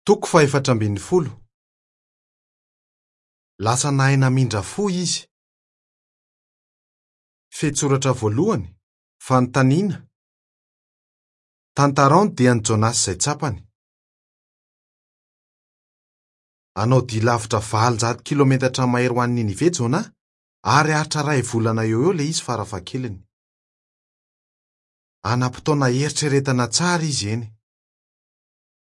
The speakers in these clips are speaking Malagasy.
Toko fahefatra ambin'ny folo. Lasa nahay namindra fo izy. Fehintsoratra voalohany, Fanontaniana. Tantarao ny dian'i Jonasy izay tsapany. Hanao dia lavitra 800 kilometatra mahery ho any Ninive Jonah, ary haharitra iray volana eo ho eo ilay izy farafahakeliny. Hanam-potoana hieritreretana tsara izy eny.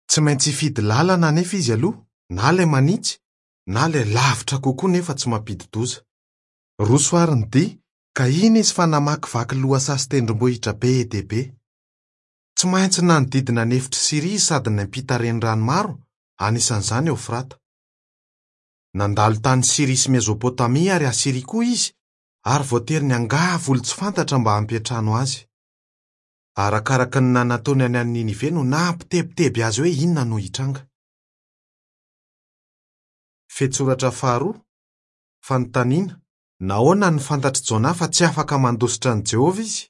Tsy maintsy hifidy lalana anefa izy aloha, na ilay manitsy, na ilay lavitra kokoa nefa tsy mampidi-doza. Roso àry ny dia, ka iny izy fa namakivaky lohasaha sy tendrombohitra be dia be. Tsy maintsy nanodidina ny efitr'i Syria izy sady niampita renirano maro, anisan'izany Eofrata. Nandalo tany Syria sy Mezopotamia ary Asyria koa izy, ary voatery niangavy olon-tsy fantatra mba hampiantrano azy. Arakaraka ny nanatonany an'i Ninive no nampitebiteby azy hoe inona no hitranga. Fehintsoratra faharoa, Fanontaniana, Nahoana no fantatr'i Jonah fa tsy afaka mandositra an'i Jehovah izy?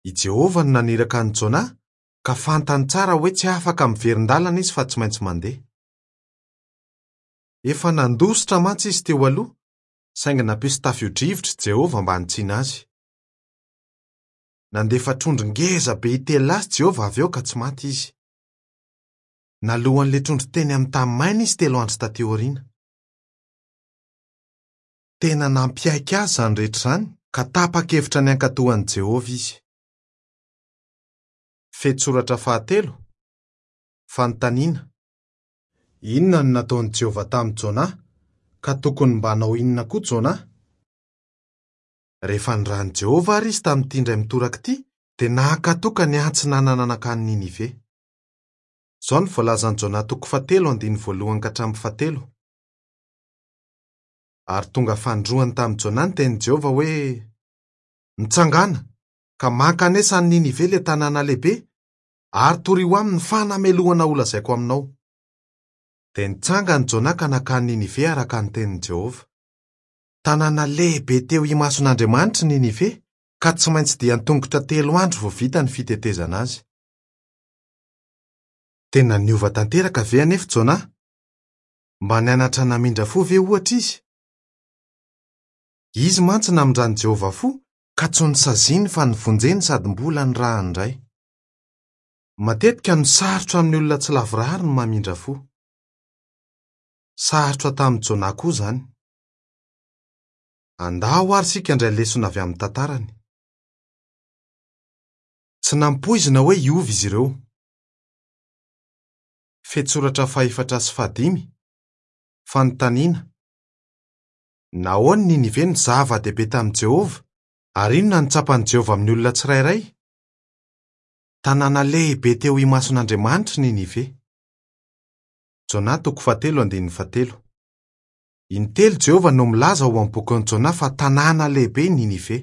I Jehovah no naniraka an'i Jonah, ka fantany tsara hoe tsy afaka miverin-dalana izy fa tsy maintsy mandeha. Efa nandositra mantsy izy teo aloha, saingy nampisy tafio-drivotra i Jehovah mba hanitsiana azy. Nandefa trondro ngeza be hitelina azy Jehovah avy eo ka tsy maty izy. Naloan'ilay trondro teny amin'ny tany maina izy telo andro tatỳ aoriana. Tena nampiaiky azy izany rehetra izany, ka tapa-kevitra ny hankatò an'i Jehovah izy. Fehintsoratra fahatelo, Fanontaniana, Inona no nataon'i Jehovah tamin'i Jonah, ka tokony mba hanao inona koa Jonah? Rehefa nirahin'i Jehovah àry izy tamin'ity indray mitoraka ity, dia nankatò ka niantsinanana nankany Ninive. Izao no voalazan'i Jonah toko fahatelo andininy voalohany ka hatramin'ny fahatelo. Ary tonga fanindroany tamin'i Jonah ny tenin'i Jehovah hoe, Mitsangàna, ka mankanesa any Ninive ilay tanàna lehibe, ary torio aminy ny fanamelohana holazaiko aminao. Dia nitsangana i Jonah ka nankany Ninive araka ny tenin'i Jehovah. Tanàna lehibe teo imason'Andriamanitra i Ninive, ka tsy maintsy dian-tongotra telo andro vao vita ny fitetezana azy. Tena niova tanteraka ve anefa Jonah? Mba nianatra namindra fo ve, ohatra, izy? Izy mantsy namindran'i Jehovah fo, ka tsy nosaziany fa novonjeny sady mbola nirahany indray. Matetika no sarotra amin'ny olona tsy lavorary ny mamindra fo. Sarotra tamin'i Jonah koa izany. Andao àry isika handray lesona avy amin'ny tantarany. Tsy nampoizina hoe hiova izy ireo. Fehintsoratra fahefatra sy fahadimy, Fanontaniana, Nahoana Ninive no zava-dehibe tamin'i Jehovah, ary inona no tsapan'i Jehovah amin'ny olona tsirairay? Tanàna lehibe teo imason'Andriamanitra i Ninive. Jona toko fahatelo andininy fahatelo. Intelo Jehovah no milaza ao amin'ny bokin'i Jona fa tanàna lehibe i Ninive.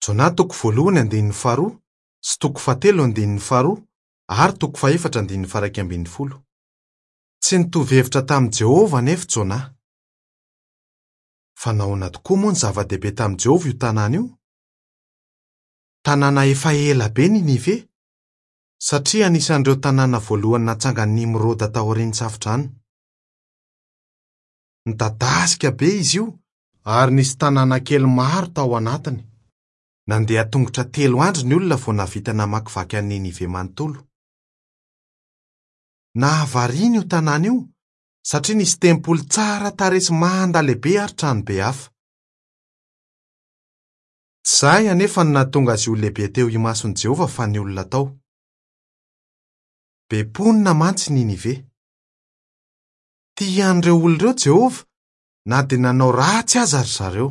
Jona toko voalohany andininy faharoa sy toko fahatelo andininy faharoa ary toko fahefatra andininy faharaika ambin'ny folo. Tsy nitovy hevitra tamin'i Jehovah anefa Jona. Fa nahoana tokoa moa no zava-dehibe tamin'i Jehovah io tanàna io? Tanàna efa ela be Ninive, satria anisan'ireo tanàna voalohany natsangan'i Nimroda taorian'ny Safodrano. Nidadasika be izy io ary nisy tanàna kely maro tao anatiny. Nandeha tongotra telo andro ny olona vao nahavita namakivaky an'i Ninive manontolo. Nahavariana io tanàna io satria nisy tempoly tsara tarehy sy manda lehibe ary tranobe hafa. Tsy izay anefa no nahatonga azy ho lehibe teo imason'i Jehovah fa ny olona tao. Be mponina mantsy i Ninive. Tia an'ireo olona ireo Jehovah na dia nanao ratsy aza ry zareo.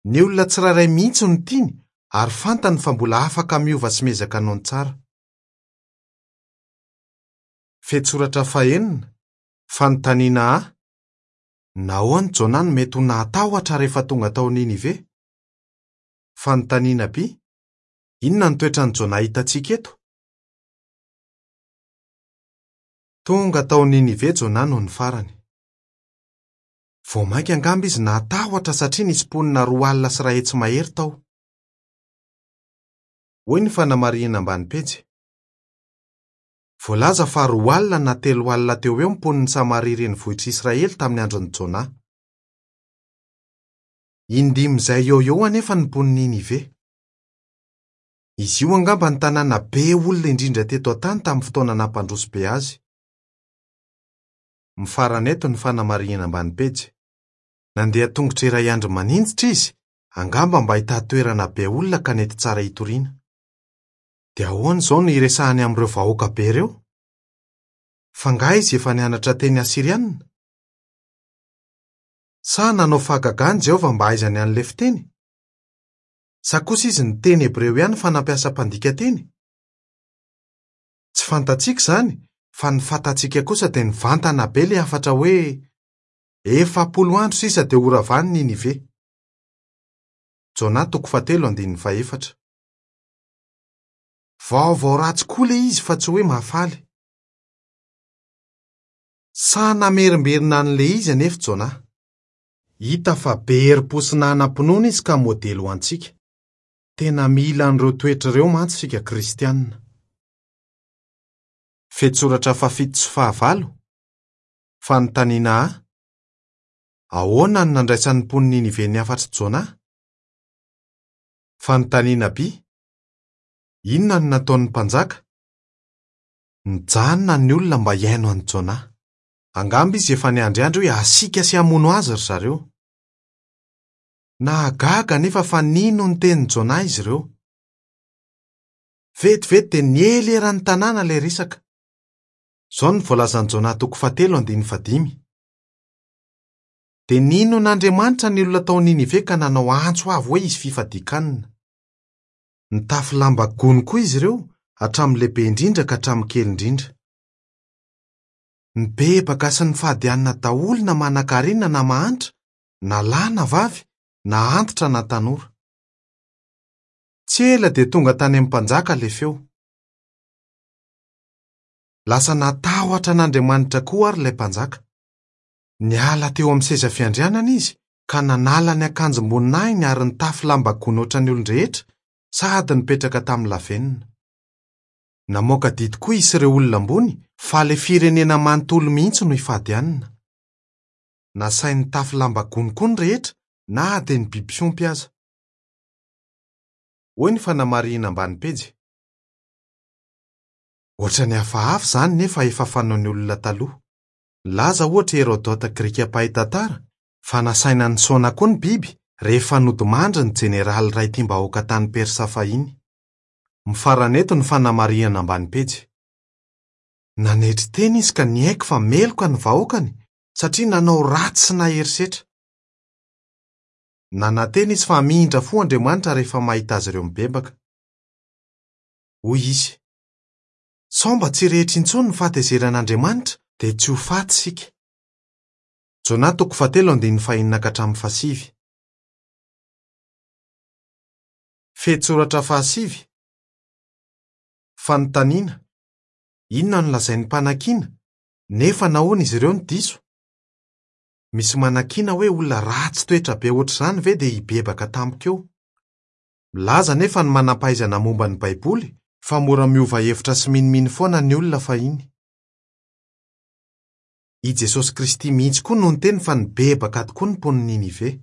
Ny olona tsirairay mihitsy no tiany ary fantany fa mbola afaka miova sy miezaka hanao ny tsara. Fehintsoratra fahenina, Fanontaniana A, Nahoana Jonah no mety ho nahatahotra rehefa tonga tao Ninive? Fanontaniana B, Inona no toetran'i Jonah hitantsika eto? Tonga tao Ninive Jonah nony farany. Vao mainka angamba izy nahatahotra satria nisy mponina 320 mahery tao. Hoy ny fanamarihana ambany pejy. Voalaza fa 20 na 30 teo ho eo ny mponin'i Samaria renivohitr'i Israely tamin'ny andron'i Jonà. Indimin'izay eo ho eo anefa ny mponin'i Ninive. Izy io angamba ny tanàna be olona indrindra teto an-tany tamin'ny fotoana nampandroso be azy. Mifarana eto ny fanamarihana ambany pejy. Nandeha tongotra iray andro maninjitra izy, angamba mba hitady toerana be olona ka nety tsara hitoriana. Dia ahoana izao no hiresahany amin'ireo vahoaka be ireo? F'angaha izy efa nianatra teny asyrianina? Sa nanao fahagagana Jehovah mba hahaizany an'ilay fiteny? Sa kosa izy niteny hebreo ihany fa nampiasa mpandika teny? Tsy fantatsika izany, fa ny fantatsika kosa dia nivantana be ilay hafatra hoe 40 andro sisa dia horavany Ninive. Jona toko fahatelo andininy fahefatra. Vaovao ratsy koa ilay izy fa tsy hoe mahafaly. Sahy namerimberina an'ilay izy anefa Jona. Hita fa be herim-po sy nanam-pinoana izy ka modely ho antsika. Tena mila an'ireo toetra ireo mantsy isika Kristianina. Fehintsoratra fahafito sy fahavalo, Fanontaniana A, Ahoana no nandraisan'ny mponin'i Ninive ny hafatr'i Jona? Fanontaniana B, Inona no nataon'ny mpanjaka? Nijanona ny olona mba hihaino an'i Jona. Angamba izy efa niandriandry hoe hasiaka sy hamono azy ry zareo. Nahagaga anefa fa nino ny tenin'i Jona izy ireo. Vetivety dia niely eran'ny tanàna ilay resaka. Izao no voalazan'i Jona toko fahatelo andininy fahadimy. Dia nino an'Andriamanitra ny olona tao Ninive ka nanao antso avo hoe hisy fifadian-kanina. Nitafy lamba gony koa izy ireo, hatramin'ny lehibe indrindra ka hatramin'ny kely indrindra. Nibebaka sy nifady hanina daholo na manankarena na mahantra, na lahy na vavy, na antitra na tanora. Tsy ela dia tonga tany amin'ny mpanjaka ilay feo. Lasa natahotra an'Andriamanitra koa àry ilay mpanjaka. Niala teo amin'ny seza fiandrianana izy ka nanala ny akanjom-boninahiny ary nitafy lamba gony hoatran'ny olon-drehetra sady nipetraka tamin'ny lavenona. Namoaka didy koa izy sy ireo olona ambony fa ilay firenena manontolo mihitsy no hifady hanina. Nasainy nitafy lamba gony koa ny rehetra na dia ny biby fiompy aza. Hoy ny fanamarihina ambany pejy. Hoatran'ny hafahafa izany nefa efa fanaon'ny olona taloha. Nilaza ohatra i Hérodote Grika mpahay tantara fa nasaina nisaona koa ny biby rehefa nodimandry ny jeneraly iray tiam-bahoaka tany Persa fahiny. Mifarana eto ny fanamarihana ambany pejy. Nanetry tena izy ka niaiky fa meloka ny vahoakany satria nanao ratsy sy nahery setra. Nanantena izy fa hamindra fo Andriamanitra rehefa mahita azy ireo mibebaka. Hoy izy, Sao mba tsy hirehitra intsony ny fahatezeran'Andriamanitra dia tsy ho faty isika. Jona toko fahatelo andininy fahenina ka hatramin'ny fahasivy. Fehintsoratra fahasivy, Fanontaniana, Inona no lazain'ny mpanakiana, nefa nahoana izy ireo no diso? Misy manakiana hoe olona ratsy toetra be hoatr'izany ve dia hibebaka tampoka eo? Milaza anefa ny manam-pahaizana momba ny Baiboly fa mora miova hevitra sy minomino foana ny olona fahiny. I Jesosy Kristy mihitsy koa no niteny fa nibebaka tokoa ny mponin'i Ninive.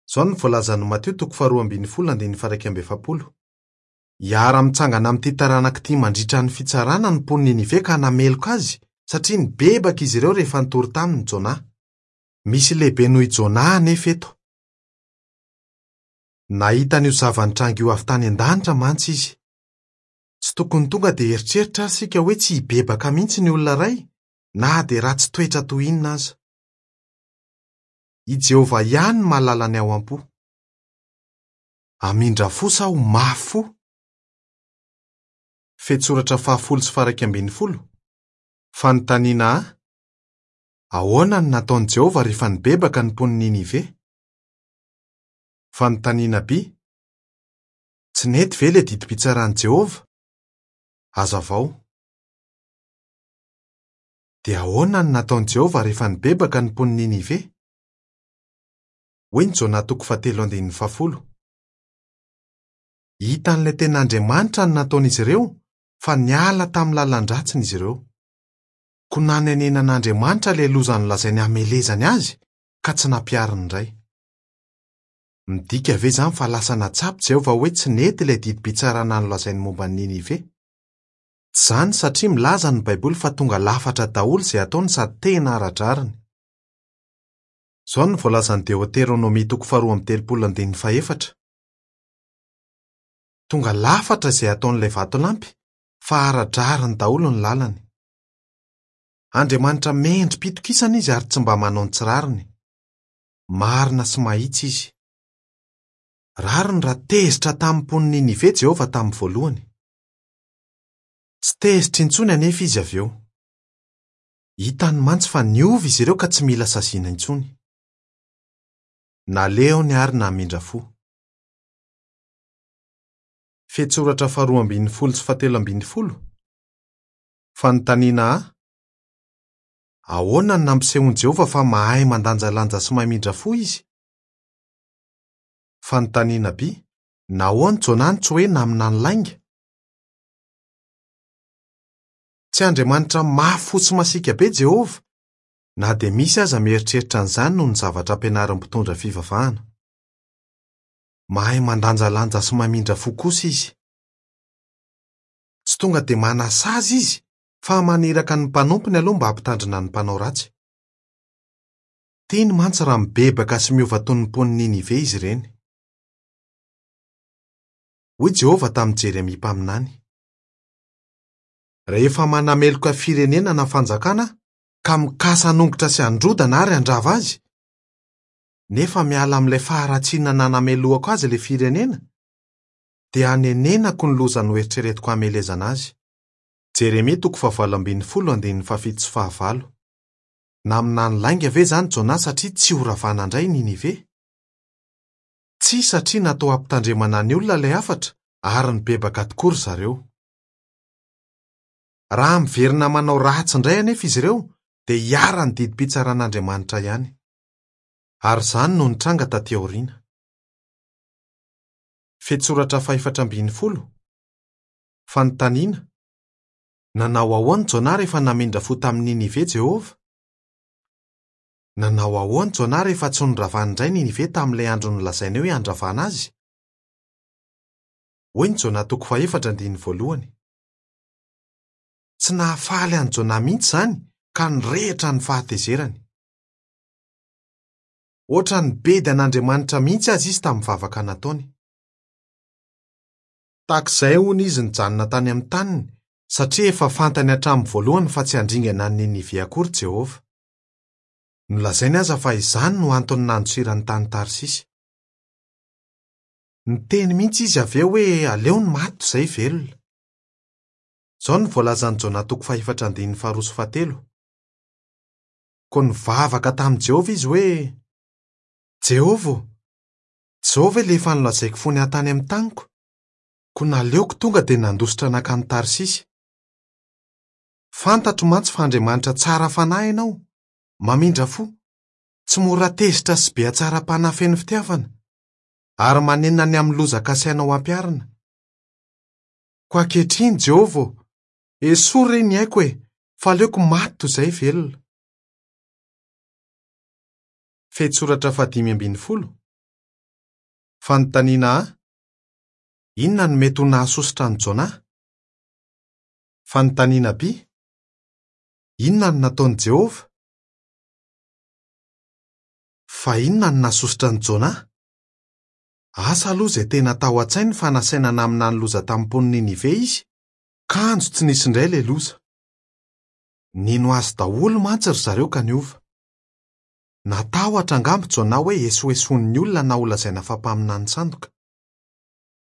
Izao no voalazan'i Matio toko faharoa ambin'ny folo andininy faha-41, Hiara-mitsangana amin'ity taranaka ity mandritra ny fitsarana ny mponin'i Ninive ka hanameloka azy, satria nibebaka izy ireo rehefa nitory taminy Jonà. Misy lehibe noho i Jonà anefa eto. Nahita an'io zava-nitranga io avy tany an-danitra mantsy izy. Tsy tokony tonga dia hieritreritra ary isika hoe tsy hibebaka mihitsy ny olona iray, na dia ratsy toetra toy inona aza. I Jehovah ihany no mahalala ny ao am-po. Hamindra fo sa ho mafy fo? Fehintsoratra fahafolo sy faha-11, Fanontaniana A, Ahoana no nataon'i Jehovah rehefa nibebaka ny mponin'i Ninive? Fanontaniana B, Tsy nety ve ilay didim-pitsaran'i Jehovah? Hazavao. Dia ahoana no nataon'i Jehovah rehefa nibebaka ny mponin'i Ninive? Hoy ny Jona toko fahatelo andininy fahafolo, Hitan'ilay tena Andriamanitra ny nataon'izy ireo, fa niala tamin'ny lalan-dratsiny izy ireo. Koa nanenenan'Andriamanitra ilay loza nolazainy hamelezany azy, ka tsy nampihariny indray. Midika ve izany fa lasa nahatsapa Jehovah hoe tsy nety ilay didim-pitsarana nolazainy momba an'i Ninive? Tsy izany satria milaza ny Baiboly fa tonga lafatra daholo izay ataony sady tena ara-drariny. Izao no voalazan'ny Deoteronomia toko faharoa amby telopolo andininy fahefatra, Tonga lafatra izay ataon'ilay vatolampy, fa ara-drariny daholo ny lalany. Andriamanitra mendri-pitokisana izy ary tsy mba manao ny tsy rariny. Marina sy mahitsy izy. Rariny raha tezitra tamin'ny mponin'i Ninive Jehovah tamin'ny voalohany. Tsy tezitra intsony anefa izy avy eo. Hitany mantsy fa niova izy ireo ka tsy mila saziana intsony. Naleony ary namindra fo. Fehintsoratra faharoa ambin'ny folo sy fahatelo ambin'ny folo. Fanontaniana A, Ahoana no nampisehoan'i Jehovah fa mahay mandanjalanja sy mamindra fo izy? Fanontaniana B, Nahoana Jonah no tsy hoe naminany lainga? Tsy Andriamanitra mafy fo sy masiaka be Jehovah, na dia misy aza mieritreritra an'izany noho ny zavatra ampianarin'ny mpitondra fivavahana. Mahay mandanjalanja sy mamindra fo kosa izy. Tsy tonga dia manasazy izy fa maniraka ny mpanompony aloha mba hampitandrina ny mpanao ratsy. Tiany mantsy raha mibebaka sy miova toy ny mponin'i Ninive izy ireny. Hoy Jehovah tamin'i Jeremia mpaminany, Rehefa manameloka firenena na fanjakana aho, ka mikasa hanongotra sy handrodana ary handrava azy, nefa miala amin'ilay faharatsiana nanamelohako azy ilay firenena, dia hanenenako ny loza noeritreretiko hamelezana azy. Jeremia toko fahavalo ambin'ny folo andininy fahafito sy fahavalo. Naminany lainga ve izany Jonah satria tsy horavana indray i Ninive? Tsia satria natao hampitandremana ny olona ilay hafatra ary nibebaka tokoa ry zareo. Raha miverina manao ratsy indray anefa izy ireo dia hiharan'ny didim-pitsaran'Andriamanitra ihany. Ary izany no nitranga taty aoriana. Fehintsoratra fahefatra ambin'ny folo. Fanontaniana, Nanao ahoana Jonah rehefa namindra fo tamin'i Ninive Jehovah? Nanao ahoana Jonah rehefa tsy noravany indray Ninive tamin'ilay andro nolazainy hoe handravana azy? Hoy ny Jonah toko fahefatra andininy voalohany. Tsy nahafaly an'i Jonah mihitsy izany ka nirehitra ny fahatezerany. Hoatran'ny bedy an'Andriamanitra mihitsy aza izy tamin'ny vavaka nataony. Tahaka izay, hono, izy nijanona tany amin'ny taniny, satria efa fantany hatramin'ny voalohany fa tsy handringana an'i Ninive akory Jehovah. Nolazainy aza fa izany no antony nandosirany tany Tarsisy. Niteny mihitsy izy avy eo hoe aleony maty toy izay velona. Izao no voalazan'i Jona toko fahefatra andininy faharoa sy fahatelo, Koa nivavaka tamin'i Jehovah izy hoe, 'Jehovah ô, tsy izao ve ilay efa nolazaiko fony aho tany amin'ny taniko? Koa naleoko tonga dia nandositra nankany Tarsisy. Fantatro mantsy fa Andriamanitra tsara fanahy ianao, mamindra fo, tsy mora tezitra sy be hatsaram-panahy feno fitiavana, ary manenina ny amin'ny loza kasainao hampiharina. Koa ankehitriny, Jehovah ô, esory re ny aiko e, fa aleoko maty toy izay velona. Fehintsoratra fahadimy ambin'ny folo. Fanontaniana A, Inona no mety ho nahasosotra an'i Jonah? Fanontaniana B, Inona no nataon'i Jehovah? Fa inona no nahasosotra an'i Jonah? Asa aloha izay tena tao an-tsainy fa nasaina naminany loza tamin'ny mponin'i Ninive izy, kanjo tsy nisy indray ilay loza. Nino azy daholo mantsy ry zareo ka niova. Natahotra angamba Jonah hoe esoesoin'ny olona na holazaina fa mpaminany sandoka.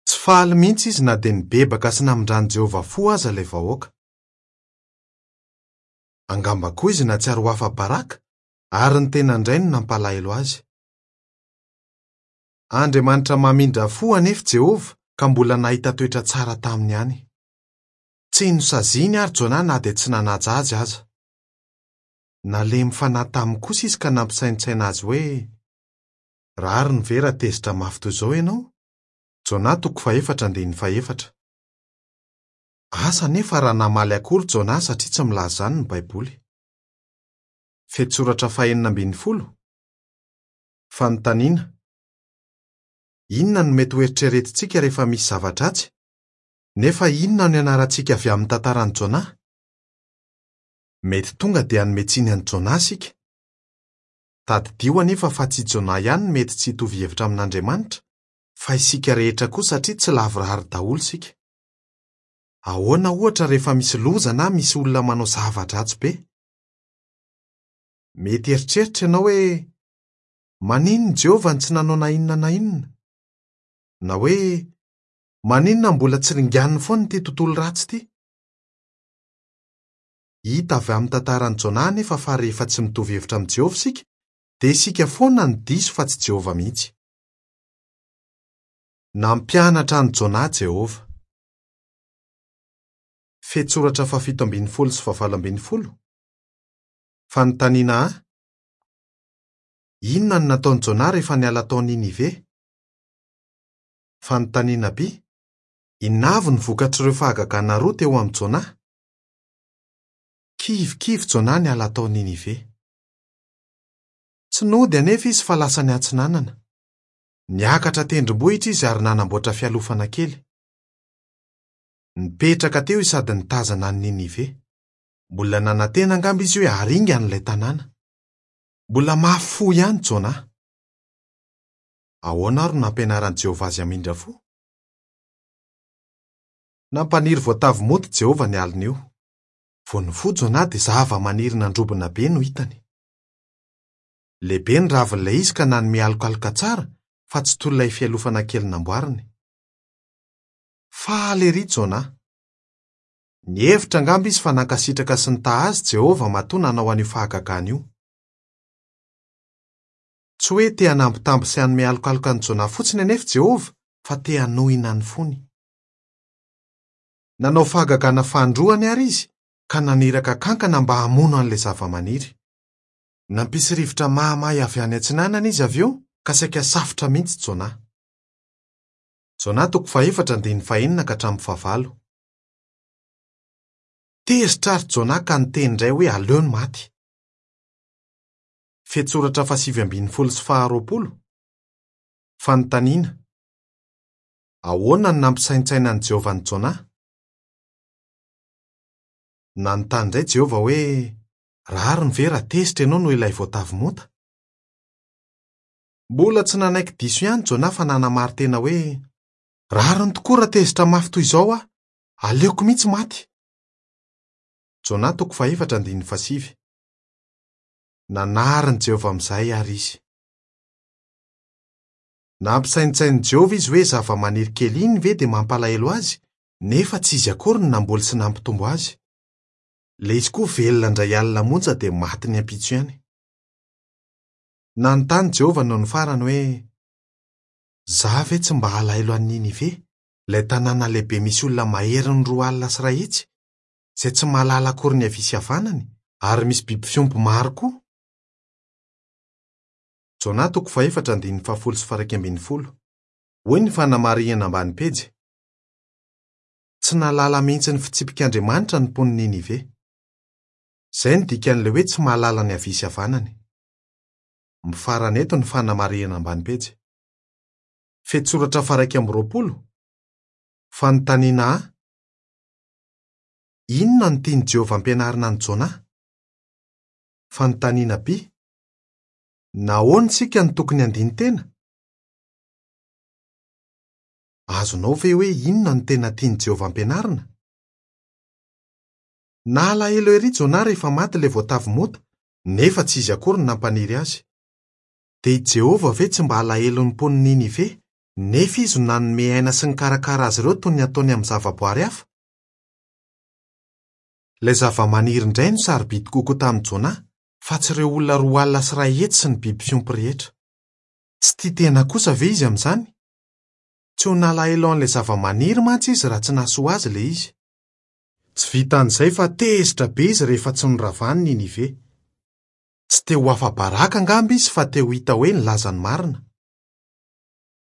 Tsy faly mihitsy izy na dia nibebaka sy namindran'i Jehovah fo aza ilay vahoaka. Angamba koa izy nahatsiaro ho afa-baraka ary ny tena indray no nampalahelo azy. Andriamanitra mamindra fo anefa Jehovah ka mbola nahita toetra tsara taminy ihany. Tsy nosaziany àry Jonah na dia tsy nanaja azy aza. Nalemy fanahy taminy kosa izy ka nampisaintsaina azy hoe, Rariny ve raha tezitra mafy toy izao ianao? Jonah toko fahefatra andininy fahefatra. Asa anefa raha namaly akory Jona satria tsy milaza izany ny Baiboly. Fehintsoratra fahenina ambin'ny folo. Fanontaniana. Inona no mety hoeritreretintsika rehefa misy zava-dratsy, nefa inona no ianarantsika avy amin'ny tantaran'i Jona? Mety tonga dia hanome tsiny an'i Jona isika. Tadidio anefa fa tsy i Jona ihany no mety tsy hitovy hevitra amin'Andriamanitra, fa isika rehetra koa satria tsy lavorary daholo isika. Ahoana, ohatra, rehefa misy loza na misy olona manao zava-dratsy be? Mety hieritreritra ianao hoe, 'Maninona i Jehovah no tsy nanao na inona na inona? Na hoe, 'Maninona no mbola tsy ringaniny foana ity tontolo ratsy ity? Hita avy amin'ny tantaran'i Jona anefa fa rehefa tsy mitovy hevitra amin'i Jehovah isika, dia isika foana no diso fa tsy Jehovah mihitsy. Nampianatra an'i Jona Jehovah. Fehintsoratra fahafito ambin'ny folo sy fahavalo ambin'ny folo. Fanontaniana A, Inona no nataon'i Jona rehefa niala tao Ninive? Fanontaniana B, Inona avy no vokatr'ireo fahagagana roa teo amin'i Jona? Kivikivy Jona niala tao Ninive. Tsy nody anefa izy fa lasa niatsinanana. Niakatra tendrombohitra izy ary nanamboatra fialofana kely. Nipetraka teo izy sady nitazana an'i Ninive. Mbola nanantena angamba izy hoe haringany ilay tanàna. Mbola mafy fo ihany Jona. Ahoana ary no nampianaran'i Jehovah azy hamindra fo? Nampaniry voatavo moto Jehovah ny alin'io. Vao nifoha Jona dia zavamaniry nandrobona be no hitany. Lehibe ny ravin'ilay izy ka nanome alokaloka tsara fa tsy toy ilay fialofana kely namboariny. Faly erỳ Jona! Nihevitra angamba izy fa nankasitraka sy nitaha azy Jehovah matoa nanao an'io fahagagana io. Tsy hoe te hanambitamby sy hanome alokaloka an'i Jona fotsiny anefa Jehovah fa te hanohina ny fony. Nanao fahagagana fanindroany àry izy ka naniraka kankana mba hamono an'ilay zavamaniry. Nampisy rivotra mahamay avy any atsinanana izy avy eo ka saika safotra mihitsy Jona. Jona toko fahefatra andininy fahenina ka hatramin'ny fahavalo. Tezitra àry Jona ka niteny indray hoe aleony maty. Fehintsoratra fahasivy ambin'ny folo sy faharoapolo. Fanontaniana, Ahoana no nampisaintsainan'i Jehovah an'i Jona? Nanontany indray Jehovah hoe, Rariny ve raha tezitra ianao noho ilay voatavo monta? Mbola tsy nanaiky diso ihany Jona fa nanamari-tena hoe, Rariny tokoa raha tezitra mafy toy izao aho. Aleoko mihitsy maty. Jona toko fahefatra andininy fahasivy. Nanarin'i Jehovah amin'izay àry izy. Nampisaintsain'i Jehovah izy hoe zavamaniry kely iny ve dia mampalahelo azy, nefa tsy izy akory no namboly sy nampitombo azy. Ilay izy koa velona indray alina monja dia maty ny ampitso ihany. Nanontany Jehovah nony farany hoe, Izaho ve tsy mba halahelo an'i Ninive, ilay tanàna lehibe misy olona maherin'ny 120, izay tsy mahalala akory ny havia sy havanany, ary misy biby fiompy maro koa? Jona toko fahefatra andininy fahafolo sy faha-iraika ambin'ny folo. Hoy ny fanamarihana ambany pejy, Tsy nahalala mihitsy ny fitsipik'Andriamanitra ny mponin'i Ninive. Izay no dikan'ilay hoe tsy mahalala ny havia sy havanany. Mifarana eto ny fanamarihana ambany pejy. Fehintsoratra faha-iraika amby roapolo, Fanontaniana A, Inona no tian'i Jehovah hampianarina an'i Jona? Fanontaniana B, Nahoana isika no tokony handini-tena? Azonao ve hoe inona no tena tian'i Jehovah ampianarina? Nalahelo erỳ Jona rehefa maty ilay voatavo mota, nefa tsy izy akory no nampaniry azy. Dia i Jehovah ve tsy mba halahelo ny mponin'i Ninive, nefa izy no nanome aina sy nikarakara azy ireo toy ny ataony amin'ny zavaboary hafa? Ilay zavamaniry indray no sarobidy kokoa tamin'i Jona, fa tsy ireo olona 120 sy ny biby fiompy rehetra. Tsy tia tena kosa ve izy amin'izany? Tsy ho nalahelo an'ilay zavamaniry mantsy izy raha tsy nahasoa azy ilay izy. Tsy vitan'izay fa tezitra be izy rehefa tsy noravany Ninive. Tsy te ho afa-baraka angamba izy fa te ho hita hoe nilaza ny marina.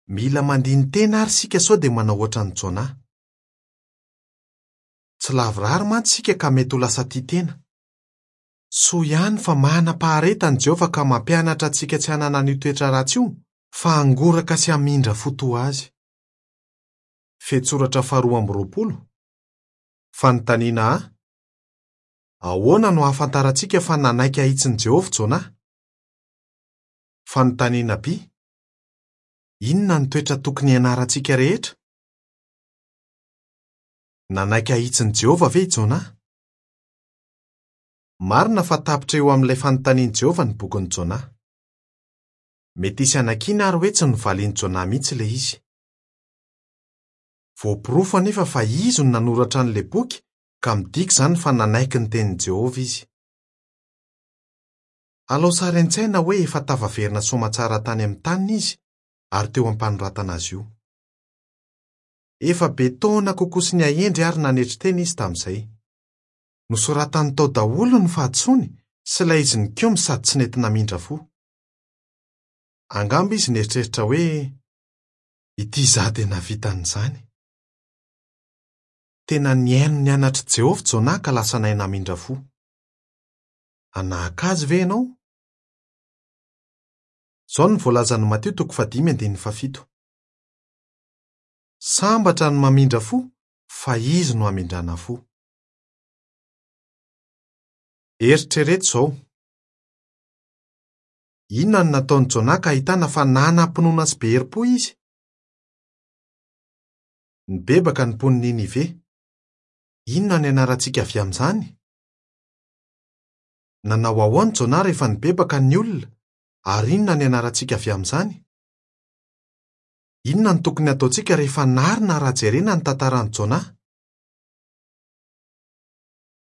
Mila mandini-tena àry isika sao dia manao hoatran'i Jona. Tsy lavorary mantsy isika ka mety ho lasa tia tena. Soa ihany fa manam-paharetana i Jehovah ka mampianatra antsika tsy hanana an'io toetra ratsy io, fa hangoraka sy hamindra fo toa azy. Fehintsoratra faharoa amby 20. Fanontaniana A, Ahoana no ahafantarantsika fa nanaiky hahitsin'i Jehovah Jonah? Fanontaniana B, Inona no toetra tokony hianarantsika rehetra? Nanaiky hahitsin'i Jehovah ve i Jonah? Marina fa tapitra eo amin'ilay fanontanian'i Jehovah ny bokin'i Jonah. Mety hisy hanakiana àry hoe tsy novalian'i Jonah mihitsy ilay izy. Voaporofo anefa fa izy no nanoratra an'ilay boky ka midika izany fa nanaiky ny tenin'i Jehovah izy. Alao sary an-tsaina hoe efa tafaverina soamatsara tany amin'ny taniny izy ary teo am-panoratana azy io. Efa be taona kokoa sy nihahendry ary nanetry tena izy tamin'izay. Nosoratany tao daholo ny fahadisoany sy ilay izy nikomy sady tsy nety namindra fo. Angamba izy nieritreritra hoe, 'Ity izaho dia nahavita an'izany. Tena nihaino ny anatr'i Jehovah Jonah ka lasa nahay namindra fo. Hanahaka azy ve ianao? Izao no voalazan'i Matio toko fahadimy andininy fahafito, Sambatra ny mamindra fo, fa izy no hamindrana fo. Eritrereto izao, Inona no nataon'i Jonah ka ahitana fa nanam-pinoana sy be herim-po izy? Nibebaka ny mponin'i Ninive. Inona no ianarantsika avy amin'izany? Nanao ahoana Jonah rehefa nibebaka ny olona, ary inona no ianarantsika avy amin'izany? Inona no tokony hataontsika rehefa narina raha jerena ny tantaran'i Jonah?